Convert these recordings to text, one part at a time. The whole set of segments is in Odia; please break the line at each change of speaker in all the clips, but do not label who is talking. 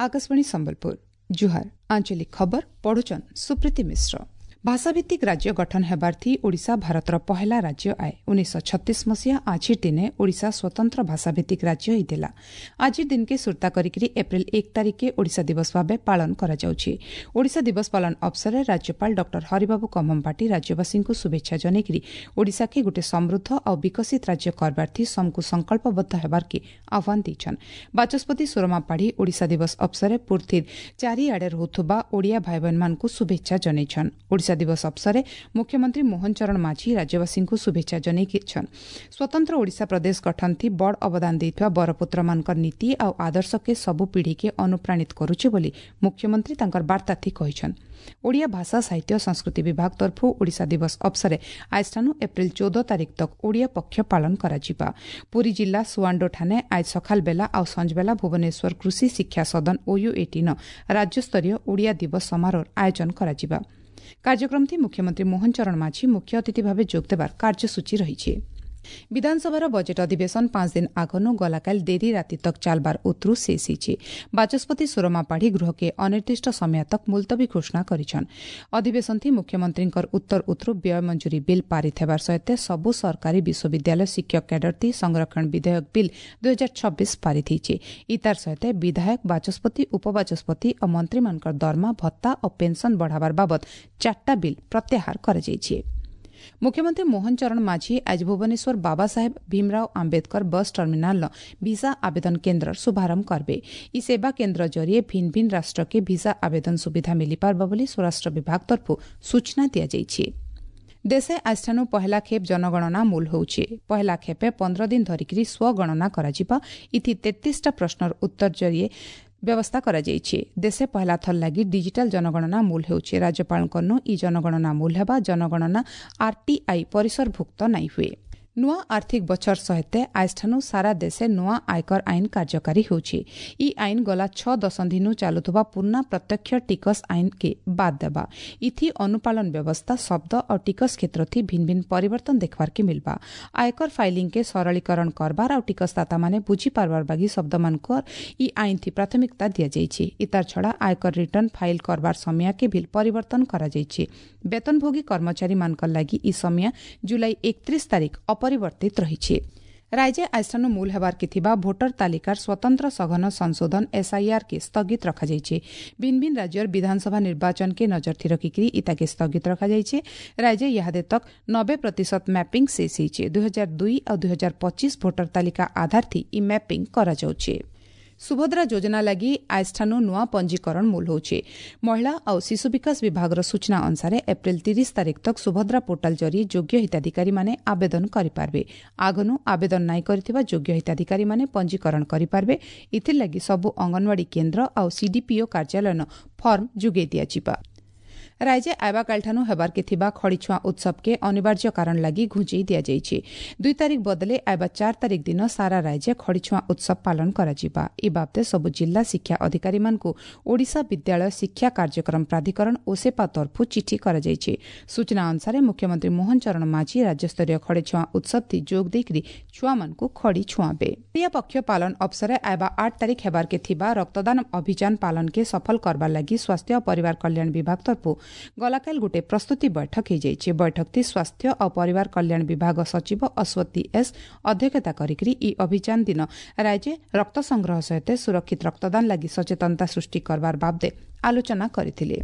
ଆକାଶବାଣୀ ସମ୍ବଲପୁର, ଜୁହାର। ଆଞ୍ଚଳିକ ଖବର ପଢୁଛନ୍ ସୁପ୍ରୀତି ମିଶ୍ର। ଭାଷାଭିତ୍ତିକ ରାଜ୍ୟ ଗଠନ ହେବାର୍ଥି ଓଡ଼ିଶା ଭାରତର ପହେଲା ରାଜ୍ୟ ଆଏ। 1936 ମସିହା ଆଜିର ଦିନେ ଓଡ଼ିଶା ସ୍ୱତନ୍ତ୍ର ଭାଷାଭିତ୍ତିକ ରାଜ୍ୟ ହେଇଥିଲା। ଆଜିର ଦିନକେ ସୁର୍ତ୍ତା କରିକିରି ଏପ୍ରିଲ 1 ତାରିଖକେ ଓଡ଼ିଶା ଦିବସ ଭାବେ ପାଳନ କରାଯାଉଛି। ଓଡ଼ିଶା ଦିବସ ପାଳନ ଅବସରରେ ରାଜ୍ୟପାଳ ଡକ୍ଟର ହରିବାବୁ କମ୍ଭମପାଟି ରାଜ୍ୟବାସୀଙ୍କୁ ଶୁଭେଚ୍ଛା ଜଣାଇକିରି ଓଡ଼ିଶାକେ ଗୋଟେ ସମୃଦ୍ଧ ଆଉ ବିକଶିତ ରାଜ୍ୟ କରବାର୍ଥି ସମକୁ ସଂକଳ୍ପବଦ୍ଧ ହେବାର୍କେ ଆହ୍ୱାନ ଦେଇଛନ୍। ବାଚସ୍ପତି ସୁରମା ପାଢ଼ୀ ଓଡ଼ିଶା ଦିବସ ଅବସରରେ ପୃଥିବୀର ଚାରିଆଡ଼େ ରହୁଥିବା ଓଡ଼ିଆ ଭାଇବହେନମାନଙ୍କୁ ଶୁଭେଚ୍ଛା ଜଣାଇଛନ୍। ଓଡ଼ିଶା ଦିବସ ଅବସରରେ ମୁଖ୍ୟମନ୍ତ୍ରୀ ମୋହନ ଚରଣ ମାଝୀ ରାଜ୍ୟବାସୀଙ୍କୁ ଶୁଭେଚ୍ଛା ଜଣାଇଛନ୍। ସ୍ୱତନ୍ତ୍ର ଓଡ଼ିଶା ପ୍ରଦେଶ ଗଠନ ଥି ବଡ଼ ଅବଦାନ ଦେଇଥିବା ବରପୁତ୍ରମାନଙ୍କର ନୀତି ଆଉ ଆଦର୍ଶକେ ସବୁ ପିଢ଼ିକେ ଅନୁପ୍ରାଣିତ କରୁଛେ ବୋଲି ମୁଖ୍ୟମନ୍ତ୍ରୀ ତାଙ୍କର ବାର୍ତ୍ତାଥି କହିଛନ୍। ଓଡ଼ିଆ ଭାଷା, ସାହିତ୍ୟ, ସଂସ୍କୃତି ବିଭାଗ ତରଫରୁ ଓଡ଼ିଶା ଦିବସ ଅବସରରେ ଆଜିଠାନୁ ଏପ୍ରିଲ 14 ତାରିଖ ତକ ଓଡ଼ିଆ ପକ୍ଷ ପାଳନ କରାଯିବା। ପୁରୀ ଜିଲ୍ଲା ସୁଆଣ୍ଡୋ ଠାନେ ଆଜ ସକାଳ ବେଲା ଆଉ ସଞ୍ଜବେଲା ଭୁବନେଶ୍ୱର କୃଷି ଶିକ୍ଷା ସଦନ ଓୟୁଏଟି ନ ରାଜ୍ୟସ୍ତରୀୟ ଓଡ଼ିଆ ଦିବସ ସମାରୋହର ଆୟୋଜନ କରାଯିବା। କାର୍ଯ୍ୟକ୍ରମଟି ମୁଖ୍ୟମନ୍ତ୍ରୀ ମୋହନ ଚରଣ ମାଝୀ ମୁଖ୍ୟ ଅତିଥି ଭାବେ ଯୋଗଦେବାର କାର୍ଯ୍ୟସୂଚୀ ରହିଛି। ବିଧାନସଭାର ବଜେଟ୍ ଅଧିବେଶନ 5 ଦିନ ଆଗନୁ ଗଲାକାଲି ଡେରି ରାତି ତକ ଚାଲବାର ଉତରୁ ଶେଷ ହେଇଛି। ବାଚସ୍ପତି ସୁରମା ପାଢ଼ୀ ଗୃହକେ ଅନିର୍ଦ୍ଦିଷ୍ଟ ସମୟ ତକ ମୁଲତବୀ ଘୋଷଣା କରିଛନ୍। ଅଧିବେଶନଥି ମୁଖ୍ୟମନ୍ତ୍ରୀଙ୍କର ଉତ୍ତର ଉତରୁ ବ୍ୟୟ ମଞ୍ଜୁରୀ ବିଲ୍ ପାରିତ ହେବାର ସହିତ ସବୁ ସରକାରୀ ବିଶ୍ୱବିଦ୍ୟାଳୟ ଶିକ୍ଷକ କ୍ୟାଡରଥି ସଂରକ୍ଷଣ ବିଧେୟକ ବିଲ୍ 2026 ପାରିତ ହେଇଛି। ଇତାର ସହିତ ବିଧାୟକ, ବାଚସ୍ପତି, ଉପବାଚସ୍ପତି ଓ ମନ୍ତ୍ରୀମାନଙ୍କର ଦରମା, ଭତ୍ତା ଓ ପେନ୍ସନ୍ ବଢ଼ାବାର ବାବଦ 4ଟା ବିଲ୍ ପ୍ରତ୍ୟାହାର କରାଯାଇଛି। ମୁଖ୍ୟମନ୍ତ୍ରୀ ମୋହନ ଚରଣ ମାଝୀ ଆଜି ଭୁବନେଶ୍ୱର ବାବା ସାହେବ ଭୀମରାଓ ଆମ୍ବେଦକର ବସ୍ ଟର୍ମିନାଲର ଭିସା ଆବେଦନ କେନ୍ଦ୍ରର ଶୁଭାରମ୍ଭ କରିବେ। ଇ ସେବା କେନ୍ଦ୍ର ଜରିଏ ଭିନ୍ନ ଭିନ୍ନ ରାଷ୍ଟ୍ରକେ ଭିସା ଆବେଦନ ସୁବିଧା ମିଳିପାରିବ ବୋଲି ସ୍ୱରାଷ୍ଟ୍ର ବିଭାଗ ତରଫରୁ ସୂଚନା ଦିଆଯାଇଛି। ଦେଶେ ଆଜିଠାନୁ ପହେଲା ଖେପ୍ ଜନଗଣନା ମୂଲ ହେଉଛି। ପହେଲା ଖେପେ 15 ଦିନ ଧରିକିରି ସ୍ୱଗଣନା କରାଯିବା। ଇଥି 33ଟା ପ୍ରଶ୍ନର ଉତ୍ତର ଜରିଏ ବ୍ୟବସ୍ଥା କରାଯାଇଛି। ଦେଶେ ପହେଲା ଥର ଲାଗି ଡିଜିଟାଲ ଜନଗଣନା ମୂଲ ହେଉଛି। ରାଜ୍ୟପାଳଙ୍କନୁ ଇ ଜନଗଣନା ମୂଲ ହେବା ଜନଗଣନା ଆରଟିଆଇ ପରିସରଭୁକ୍ତ ନାଇଁ ହୁଏ। ନୂଆ ଆର୍ଥିକ ବଛର ସହିତ ଆଜିଠାନୁ ସାରା ଦେଶେ ନୂଆ ଆୟକର ଆଇନ କାର୍ଯ୍ୟକାରୀ ହେଉଛି। ଇ ଆଇନ ଗଲା 6 ଦଶନ୍ଧିନୁ ଚାଲୁଥିବା ପୁରୁଣା ପ୍ରତ୍ୟକ୍ଷ ଟିକସ ଆଇନକେ ବାଦ ଦେବା। ଇଥି ଅନୁପାଳନ ବ୍ୟବସ୍ଥା, ଶବ୍ଦ ଆଉ ଟିକସ କ୍ଷେତ୍ରଥି ଭିନ୍ନ ଭିନ୍ନ ପରିବର୍ତ୍ତନ ଦେଖବାର୍କେ ମିଲବା। ଆୟକର ଫାଇଲିଂକେ ସରଳୀକରଣ କରବାର ଆଉ ଟିକସଦାତାମାନେ ବୁଝିପାରବାର ବାଗି ଶବ୍ଦମାନଙ୍କର ଇ ଆଇନଥି ପ୍ରାଥମିକତା ଦିଆଯାଇଛି। ଇତାର ଛଡ଼ା ଆୟକର ରିଟର୍ଣ୍ଣ ଫାଇଲ କରବାର ସମୟକେ ବି ପରିବର୍ତ୍ତନ କରାଯାଇଛି। ବେତନଭୋଗୀ କର୍ମଚାରୀମାନଙ୍କର ଲାଗି ଇ ସମୟ ଜୁଲାଇ 31 ତାରିଖ ଅପରିବର୍ତ୍ତିତ ରହିଛି। ରାଜ୍ୟ ଆଜିଠାନୁ ମୂଲ ହେବାର୍କେ ଥିବା ଭୋଟର ତାଲିକାର ସ୍ୱତନ୍ତ୍ର ସଘନ ସଂଶୋଧନ ଏସ୍ଆଇଆର୍ କେ ସ୍ଥଗିତ ରଖାଯାଇଛି। ଭିନ୍ନ ଭିନ୍ନ ରାଜ୍ୟର ବିଧାନସଭା ନିର୍ବାଚନକେ ନଜରଥି ରଖିକିରି ଇତାକେ ସ୍ଥଗିତ ରଖାଯାଇଛି। ରାଜ୍ୟ ଇହାଦେ ତକ 90% ମ୍ୟାପିଂ ଶେଷ ହେଇଛି। 2002 ଆଉ 2025 ଭୋଟର ତାଲିକା ଆଧାରଥି ଇ ମ୍ୟାପିଂ କରାଯାଉଛି। ସୁଭଦ୍ରା ଯୋଜନା ଲାଗି ଆଜିଠାନୁ ନୂଆ ପଞ୍ଜୀକରଣ ମୂଲ ହେଉଛି। ମହିଳା ଆଉ ଶିଶୁ ବିକାଶ ବିଭାଗର ସୂଚନା ଅନୁସାରେ ଏପ୍ରିଲ 30 ତାରିଖ ତକ ସୁଭଦ୍ରା ପୋର୍ଟାଲ ଜରିଏ ଯୋଗ୍ୟ ହିତାଧିକାରୀମାନେ ଆବେଦନ କରିପାରିବେ। ଆଗନୁ ଆବେଦନ ନାଇଁ କରିଥିବା ଯୋଗ୍ୟ ହିତାଧିକାରୀମାନେ ପଞ୍ଜୀକରଣ କରିପାରିବେ। ଏଥିର୍ଲାଗି ସବୁ ଅଙ୍ଗନବାଡ଼ି କେନ୍ଦ୍ର ଆଉ ସିଡିପିଓ କାର୍ଯ୍ୟାଳୟନ ଫର୍ମ ଯୋଗାଇ ଦିଆଯିବା। ରାଜ୍ୟ ଆଇବାକାଲିଠାନୁ ହେବାର୍କେ ଥିବା ଖଡ଼ିଛୁଆଁ ଉତ୍ସବକେ ଅନିବାର୍ଯ୍ୟ କାରଣ ଲାଗି ଘୁଞ୍ଚେଇ ଦିଆଯାଇଛି। 2 ତାରିଖ ବଦଲେ ଆଇବା 4 ତାରିଖ ଦିନ ସାରା ରାଜ୍ୟ ଖଡ଼ିଛୁଆଁ ଉତ୍ସବ ପାଳନ କରାଯିବା। ଏ ବାବଦେ ସବୁ ଜିଲ୍ଲା ଶିକ୍ଷା ଅଧିକାରୀମାନଙ୍କୁ ଓଡ଼ିଶା ବିଦ୍ୟାଳୟ ଶିକ୍ଷା କାର୍ଯ୍ୟକ୍ରମ ପ୍ରାଧିକରଣ ଓସେପା ତରଫରୁ ଚିଠି କରାଯାଇଛି। ସୂଚନା ଅନୁସାରେ ମୁଖ୍ୟମନ୍ତ୍ରୀ ମୋହନ ଚରଣ ମାଝୀ ରାଜ୍ୟସ୍ତରୀୟ ଖଡ଼ିଛୁଆଁ ଉତ୍ସବଥି ଯୋଗ ଦେଇକରି ଛୁଆମାନଙ୍କୁ ଖଡ଼ି ଛୁଆଁବେ। ଓଡ଼ିଆ ପକ୍ଷ ପାଳନ ଅବସରରେ ଆଇବା 8 ତାରିଖ ହେବାର୍କେ ଥିବା ରକ୍ତଦାନ ଅଭିଯାନ ପାଳନକେ ସଫଳ କରବାର ଲାଗି ସ୍ୱାସ୍ଥ୍ୟ ଓ ପରିବାର କଲ୍ୟାଣ ବିଭାଗ ତରଫରୁ ଗଲାକାଲି ଗୋଟେ ପ୍ରସ୍ତୁତି ବୈଠକ ହୋଇଯାଇଛି। ବୈଠକଟି ସ୍ୱାସ୍ଥ୍ୟ ଓ ପରିବାର କଲ୍ୟାଣ ବିଭାଗ ସଚିବ ଅଶ୍ୱତୀ ଏସ୍ ଅଧ୍ୟକ୍ଷତା କରିକିରି ଇ ଅଭିଯାନ ଦିନ ରାଜ୍ୟ ରକ୍ତ ସଂଗ୍ରହ ସହିତ ସୁରକ୍ଷିତ ରକ୍ତଦାନ ଲାଗି ସଚେତନତା ସୃଷ୍ଟି କରବାର ବାବଦେ ଆଲୋଚନା କରିଥିଲେ।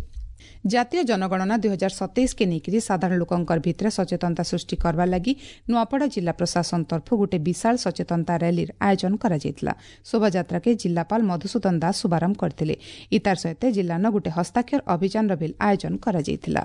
ଜାତୀୟ ଜନଗଣନା 2027 କେ ନେଇକରି ସାଧାରଣ ଲୋକଙ୍କର ଭିତରେ ସଚେତନତା ସୃଷ୍ଟି କରବାର ଲାଗି ନୂଆପଡ଼ା ଜିଲ୍ଲା ପ୍ରଶାସନ ତରଫରୁ ଗୋଟେ ବିଶାଳ ସଚେତନତା ର୍ୟାଲିର ଆୟୋଜନ କରାଯାଇଥିଲା। ଶୋଭାଯାତ୍ରାକେ ଜିଲ୍ଲାପାଳ ମଧୁସୂଦନ ଦାସ ଶୁଭାରମ୍ଭ କରିଥିଲେ। ଇତାର ସହିତ ଜିଲ୍ଲାନ ଗୋଟେ ହସ୍ତାକ୍ଷର ଅଭିଯାନର ବି ଆୟୋଜନ କରାଯାଇଥିଲା।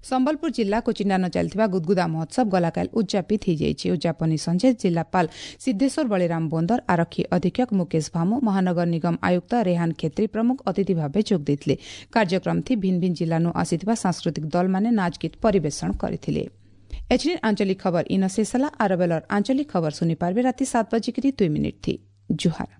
ସମ୍ବଲପୁର ଜିଲ୍ଲା କୋଚିଣ୍ଡାନ ଚାଲିଥିବା ଗୁଦଗୁଦା ମହୋତ୍ସବ ଗଲାକାଲି ଉଦ୍ଯାପିତ ହୋଇଯାଇଛି। ଉଦ୍ଯାପନୀ ସଞ୍ଜେ ଜିଲ୍ଲାପାଳ ସିଦ୍ଧେଶ୍ୱର ବଳିରାମ ବୋନ୍ଦର, ଆରକ୍ଷୀ ଅଧୀକ୍ଷକ ମୁକେଶ ଭାମୁ, ମହାନଗର ନିଗମ ଆୟୁକ୍ତ ରେହାନ ଖେତ୍ରୀ ପ୍ରମୁଖ ଅତିଥି ଭାବେ ଯୋଗ ଦେଇଥିଲେ। କାର୍ଯ୍ୟକ୍ରମଥି ଭିନ୍ନ ଭିନ୍ନ ଜିଲ୍ଲାନୁ ଆସିଥିବା ସାଂସ୍କୃତିକ ଦଳମାନେ ନାଚଗୀତ ପରିବେଷଣ କରିଥିଲେ। ଏଛିନି ଆଞ୍ଚଳିକ ଖବର ଇନ ଶେଷ ହେଲା। ଆର ବେଲର ଆଞ୍ଚଳିକ ଖବର ଶୁଣିପାରିବେ ରାତି 7:02 ଥି। ଜୁହାର।